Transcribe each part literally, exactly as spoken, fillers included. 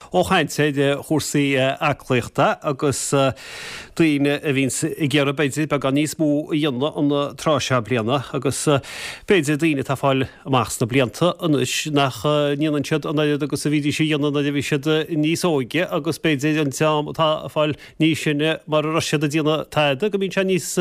Ó chaint ar chúrsaí aclaíochta agus daoine a bhíonns ag iarraidh b'fhéidir beagán níos mó a dhéanamh an tráth seo bliana agus b'fhéidir daoine atá ag fáil amach sna blianta anois nach ndéanann siad an oiread agus a bhídís a dhéanamh nuair a bhí siad níos óige agus b'fhéidir an dream atá ag fáil níos sine mara raibh siad ag déanamh tada go mbíonn sé níos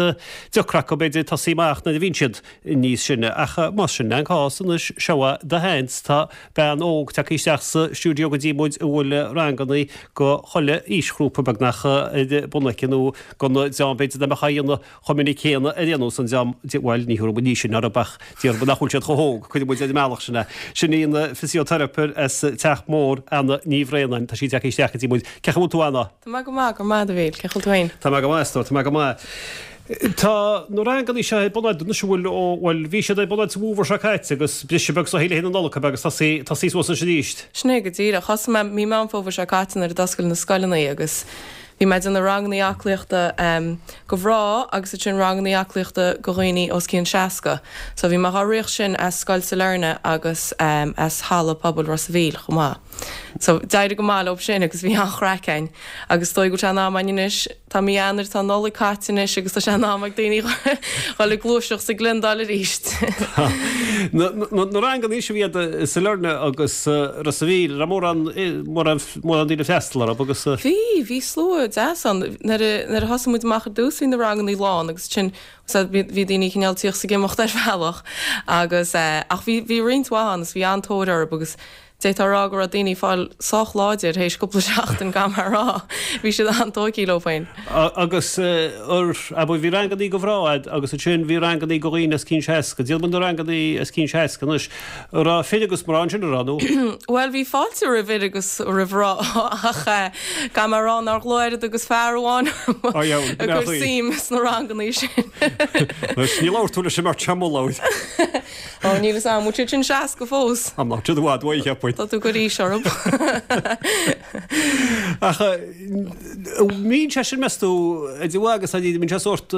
deacra acu b'fhéidir tosaí amach nuair a bhíonn siad níos sine ach más sin an cás anois seo do sheans tá bean óg tagtha isteach sa stiúideo go dtí muid a bhfuil ranganna go chuile aoisghrúpa beagnach ar bun aici nó don dream b'fhéidir nach mbeadh á dhéanamh chomh minic céanna ar aon nós an dream bhuel ní thabharfaidh muid níos sine orthu ach déarfaidh muid nach bhfuil siad chomh hóg cuirfidh muid ar an mbealach sin é. Sin í an fisioteiripeoir as Teach Mór Anna Ní Bhraonáin tá sí tagtha isteach go dtí muid. Cén chaoi a bhfuil tú Anna? Tá mé go maith go maith a Mhíl, cén chaoi a bhfuil tú féin? Tá mé go maith, tá mé go maith. Tá na ranganna seo ar bun agat anois bhfuil ó bhuel bhí siad ar bun agat sa bhfómhar seo caite agus briseadh beag sa le na Nollag agus tosaí tosaí suas anois arís. Sin é go díreach. Thosaigh mé mí Meán Fómhair seo caite nuair a d'oscail na scoileanna agus bhí mé ag déanamh ranganna aclaíochta um, go mná agus ansin ranganna aclaíochta go dhaoine os cionn seasca. So bhí mé á rith sin as Scoil Sailearna agus um, as halla pobail Ros a' Mhíl chomh maith. So d'éirigh go maith leo sin agus bhí an-chraic againn agus dóigh go an am anois Tá mí Eanáir tá Nollaig caite anois agus tá sé in am ag daoine dul ag gluaiseacht sa gliondar arís. Na ranganna seo a bhí i Sailearna agus Ros a' Mhíl raibh mórán mórán mórán daoine freastal orthu agus Bhí bhí slua deas ann nuair a thosaigh muid amach ar dtús bhí na ranganna lán agus sin bhí daoine cineál ag tíocht is ag imeacht ar bhealach agus ach bhí bhí roinnt mhaith ann is bhí an-tóir orthu agus D'fhéadfá a rá go raibh daoine ag fáil sách láidir théis cúpla seachtain gan mar rá. Bhí siad an-tógtha leo féin. Agus ar abair bhí rangannaí go mná agat agus ansin bhí rangannaí go dhaoine os cionn seasca. Déarfaidh muid na rangannaí os cionn seasca anois. An raibh fir agus mná ansin an raibh nó? Bhuel bhí fáilte roimh fhir agus roimh mhná ach gan mar rá nár ghlaoigh oiread agus fear amháin orm ag cur suim sna rangannaí sin. Anois ní labhair tú leis an mbeirt seo mo labhair. Ó níl fhios a'm, bhfuil siad sin seasca fós? Am ná siad i bhfad uaidh, cheapfainn. Tá tú ag cur aois orthu. Ach mbíonn sé sin meas tú idir mhaith agus ní bhíonn sé sórt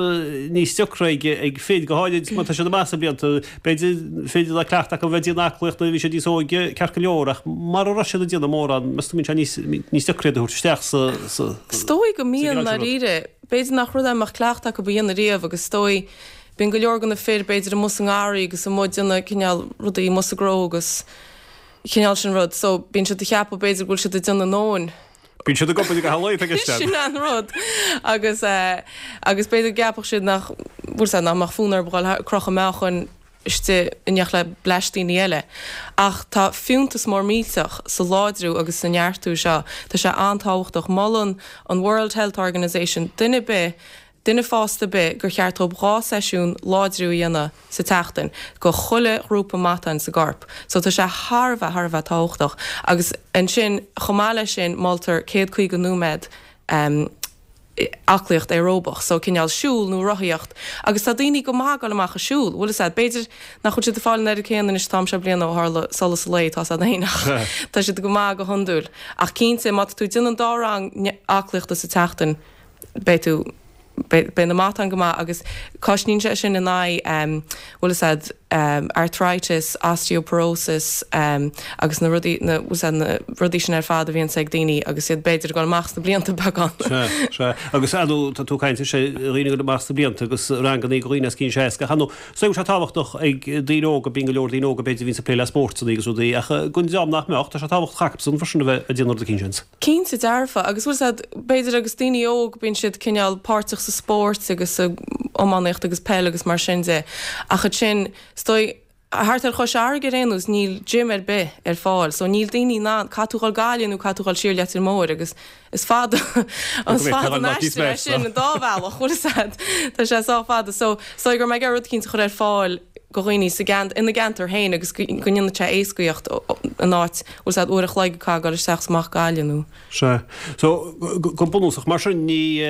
níos deacra ag ag fir go háirid má tá siad amach sna blianta b'fhéidir féidir le cleachtadh acu bheith ag déanamh aclaíocht nuair a bhí siad níos óige ceart go leor ach mara raibh siad ag déanamh mórán meas tú mbíonn sé níos níos deacra iad a thabhairt isteach sa sa Is dóigh go sa mbíonn gcineál sin rud. ndáiríre. B'fhéidir nach rud é a mbeadh cleachtadh acu a dhéanamh riamh agus is dóigh Bíonn go leor de na fir b'fhéidir amuigh sa ngarraí agus amuigh ag déanamh cineál rudaí amuigh sa gcró agus cineál sin rud so bíonn siad ag ceapadh b'fhéidir go bhfuil siad ag déanamh a ndóthain. Bíonn siad ag obair go halla ag isteach. Sin an rud agus eh agus b'fhéidir go gceapfadh siad nach bhfuil 's a'd nach mbeadh fonn orthu a dhul ag crochadh meáchain istigh in éineacht le bleaisteanna eile. Ach tá fiúntas mór millteach sa láidriú agus sa neartú seo. Tá sé an-tábhachtach. Molann an World Health Organization duine ar bith duine fásta ar bith gur cheart dóibh dhá seisiún láidriú a dhéanamh sa tseachtain go chuile ghrúpa matáin sa gcorp. So tá sé thar a bheith, thar a bheith tábhachtach. Agus ansin, chomh maith leis sin, moltar céad caoga nóiméad um aclaíocht aeróbach, so cineál siúl nó rothaíocht. Agus tá daoine go maith ag dul amach ag siúl, bhfuil fhios a'd. B'fhéidir nach bhfuil siad ag fáil an oiread céanna anois an t-am seo bliana ó tharla solas an lae, tá 's a'd féin ach tá siad go maith go hiondúil. Ach cinnte, má tá tú ag déanamh an dá rang aclaíochta sa tseachtain, beidh tú, beidh na matáin go maith agus cosnaíonn sé sin in aghaidh, bhfuil fhios a'd, arthritis, osteoporosis agus na rudaí, na, bhfuil fhios a'd, na rudaí sin ar fad a bhíonns ag daoine agus iad b'fhéidir ag dul amach sna blianta beagán. Sea, sea. Agus ar ndóigh, tá tú ag caint ar sé dhaoine ag dul amach sna blianta agus rangannaí go dhaoine os cionn seasca. Ach ar ndóigh, is dóigh go bhfuil sé tábhachtach ag daoine óga, bíonn go leor daoine óga b'fhéidir a bhíonns ag plé le spórtanna agus rudaí ach don dream nach mbeadh, tá sé tábhachtach acusan freisin a bheith ag déanamh rud eicínt seans. Cinnte dearfa, agus bhfuil 's a'd, b'fhéidir agus daoine óg, bíonn siad cineál páirteach sa spórt agus sa iománaíocht agus peil agus mar sin de, ach ansin, is dóigh, thart ar Chois Fharraige ar aon nós, níl gym ar bith ar fáil, so níl daoine in ann, caithfidh tú dhul Gaillimh nó caithfidh tú dhul siar Leitir Móir agus is fada, is fada an aistear é sin an dá bhealach, bhfuil 's a'd, tá sé sách fada, so is dóigh go raibh mé ag iarraidh rud eicínt a chur ar fáil go dhaoine sa gceant, ina gceantar féin agus go ndéanfadh sé éascaíocht in áit, bhfuil 's a'd, uair a chloig a chaitheamh ag dul isteach is amach Gaillimh nó. Sea. So, go bunúsach, mar sin, ní,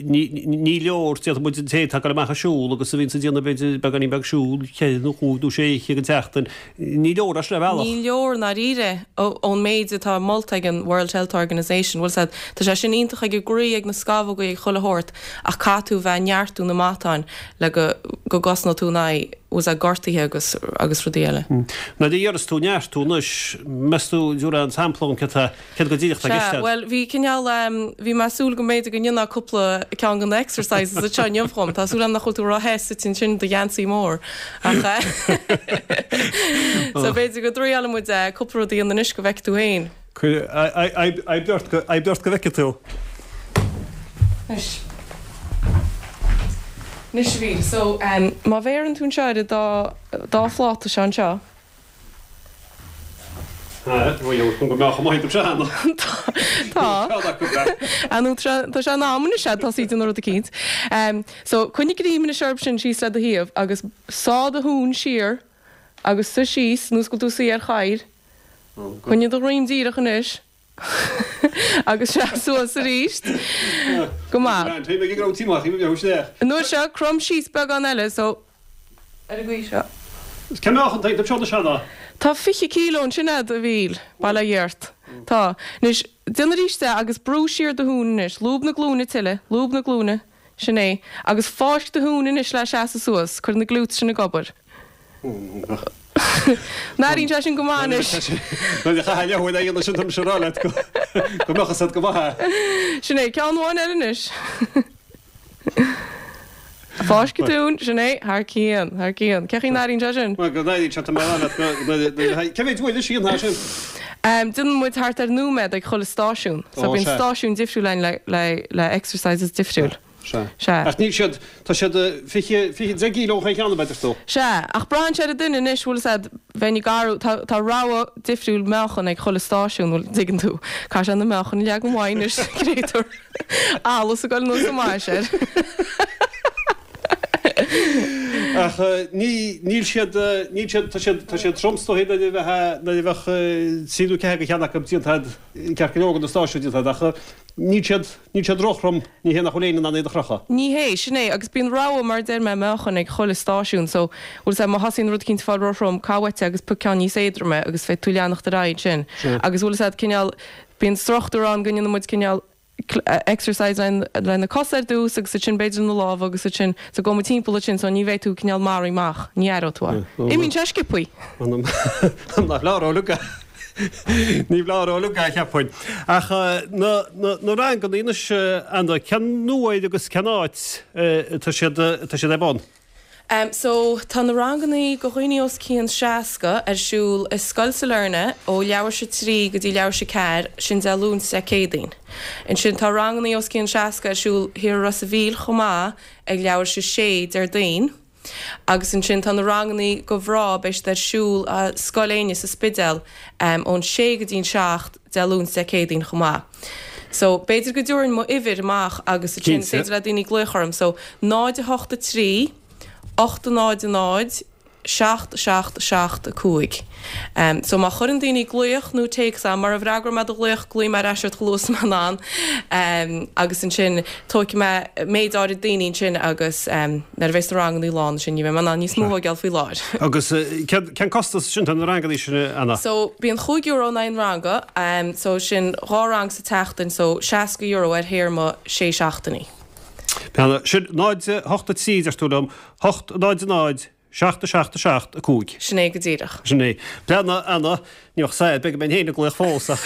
ní, ní leor, déarfaidh muid, an té atá ag dul amach ag siúl agus a bhíonns ag déanamh b'fhéidir beagáinín beag siúil, ceithre nó cúig nó sé oíche den tseachtain, ní leor é sin ar bhealach. Ní leor i ndáiríre ón méid atá molta ag an World Health Organization, bhfuil 's a'd, tá sé sin iontach ag an gcroí, ag na scamhógaí, ag chuile shórt ach caithfidh tú bheith ag neartú na matáin le go, go gcosnóidh tú in aghaidh. bhfuil a fhios agat gortaithe agus agus rudaí eile. Nuair a deireas tú neartú anois, meas tú an dtabharfá sampla dhom céard tá, céard go díreach atá i gceist Sea, agat? bhuel bhí cineál ehm bhí mé ag súil go mb'fhéidir go ndéanfá cúpla ceann de na exercises anseo inniu dhom, tá súil agam nach bhfuil tú ró-the suite ansin i do gheansaí mór ach eh so b'fhéidir go dtriailfidh muid eh cúpla rud a dhéanamh anois go bhfeicfidh tú féin. Oibrigh ort go, oibrigh ort go bhfeicfidh tú. Anois. Anois a Mhíl, so má bhéarann tú anseo ar an dá, dá phláta seo anseo. Go mbeadh maith agat Seán. Tá. Nó tá sé in am anois a'd tosaí ag déanamh rud eicínt. So coinnigh greim anois orthu sin síos le do thaobh agus sá do thóin siar agus suigh síos nós go bhfuil tú ag suí ar chathaoir. Coinnigh do dhroim díreach anois. Agus seas suas arís. Go maith. An uair seo, crom síos beagán eile, so ar an gcaoi seo. Cén meáchan atá iontu seo a Sheáin? Tá fiche kíló ansin a'd, a Mhíl, bail ó Dhia ort. Tá. Anois, déan arís é agus brú siar do thóin anois. Lúb na glúine tuilleadh, lúb na glúine. Sin é. Agus fáisc do thóin anois le seasamh suas. Cuir na glutes sin ag obair. An airíonn sé sin go maith anois. Nuair a chaithfeá leathuair a dhéanamh sin tá mise ag rá leat go mbeadh fhios agat go maith é. Sin é, ceann amháin eile anois. Fáisc an tóin, sin é, thar cionn, thar cionn. Cén chaoi a n-airíonn sé sin? Bhuel, go n-airíonn sé, tá mé ag rá leat go, cé mhéad uair anois a dhéanfá sin? Déanann muid thart ar nóiméad ag chuile stáisiún. So bíonn stáisiún difriúil againn le, le, le exercises difriúil. Sea. Sea. Ach níl siad, tá siad fiche, fiche, deich gcíló chaon cheann, a deir tú. Sea, ach braitheann sé ar an duine anois, bhfuil fhios a'd, bheinn ag athrú, tá, tá rogha difriúil meáchan ag chuile stáisiún, bhfuil, dtuigeann tú. Caithfidh sé na meáchain a leagan uaidh anois, créatúr. Allas ag dul anuas an mais air. Ach ní, níl siad, níl siad, tá siad, tá siad trom is dóigh nuair a bheadh, nuair a bheadh trí nó ceathair de cheann acu déanta a'd, ceart go leor de na stáisiúin déanta a'd, ach níl siad, níl siad róthrom, ní hé nach bhfuil éinne in ann iad a chrochadh. Ní hé, sin é, agus bíonn rogha, mar a deir mé, meáchain ag chuile stáisiún, so, bhfuil 'fhios a'd, má thosaíonn rud eicínt ag fáil róthrom, gabh uait é agus pioc ceann níos éadroime agus féadfaidh tú leanacht ar aghaidh ansin. Agus bhfuil 'fhios a'd, cineál, bíonn struchtúr ann go ndéanann muid cineál, exercise le na cosa ar dtús agus ansin b'fhéidir na lámha agus ansin so gabhfaidh muid timpeall ansin so ní bheidh tú cineál maraithe amach, ní aireoidh tú é. Imíonn sé sciobthaí. Nach leor uilig é. Ní leor uilig é, cheapfainn. Ach na na ranganna anois, Anna, cén uair agus cén áit atá siad atá siad ar bun? Em so tá na rangannaí go dhaoine os cionn seasca ar siúl i Scoil Sailearna ó leathuair théis a trí go dtí leathuair théis a ceathair, sin Dé Luain 's Dé Céadaoin. Ansin tá rangannaí os cionn seasca ar siúl thiar i Ros a' Mhíl chomh maith ag leathuair théis a sé Déardaoin. Agus ansin tá na rangannaí go mhná, beidh siad ar siúl i Scoil Éinne sa Spidéal em ón sé go dtí an seacht Dé Luain 's Dé Céadaoin chomh maith. So b'fhéidir go dtabharfainn mo uimhir amach agus ansin is Cinnte. féidir le daoine glaoch orm. So náid a hocht a trí, ocht a náid a náid, seacht seacht seacht a cúig. So má chuireann daoine glaoch nó téacs agam, mara bhfreagróidh mé do ghlaoch, glaofaidh mé ar ais ort chomh luath is atá mé in ann. Agus ansin tógfaidh mé méid áirid daoine ansin agus nuair a bheas na rangannaí lán ansin ní bheidh mé in ann níos mó a thógáil faoi láthair. Agus cén costas sin do na rangannaí sin, Anna? So bíonn chúig euro in aghaidh an ranga, so sin dhá rang sa tseachtain, so seasca euro ar théarma sé seachtainí. Anna, sin náid a hocht a trí, deir tú liom, hocht náid a náid, seacht a seacht a seacht a cúig. Sin é go díreach. Sin é. Breathnaigh, Anna, ní bheadh said, beidh mé féin ag glaoch fós ach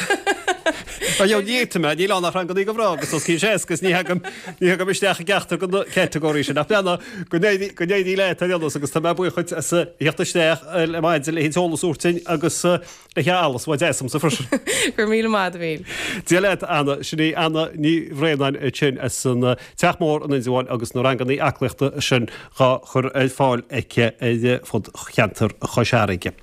Tá ní fhéadfaidh mé, níl ann ach rangannaí go mhná agus os cionn seasca is ní thagaim, ní thagaim isteach i gceachtar de na catagóirí sin. Ach breathnaigh, go n-éirí, go n-éirí leat ar aon nós agus tá mé buíoch dhuit as a theacht isteach le maidin le heolas a thabhairt dúinn agus le allas bheith deas agamsa freisin. Go raibh míle maith agat, a Mhíl. Dia leat, Anna. Sin í Anna Ní Bhraonáin ansin as an Teach Mór in Indreabhán agus na rangannaí aclaíochta sin dhá chur ar fáil aici ar fud cheantar Chois Fharraige.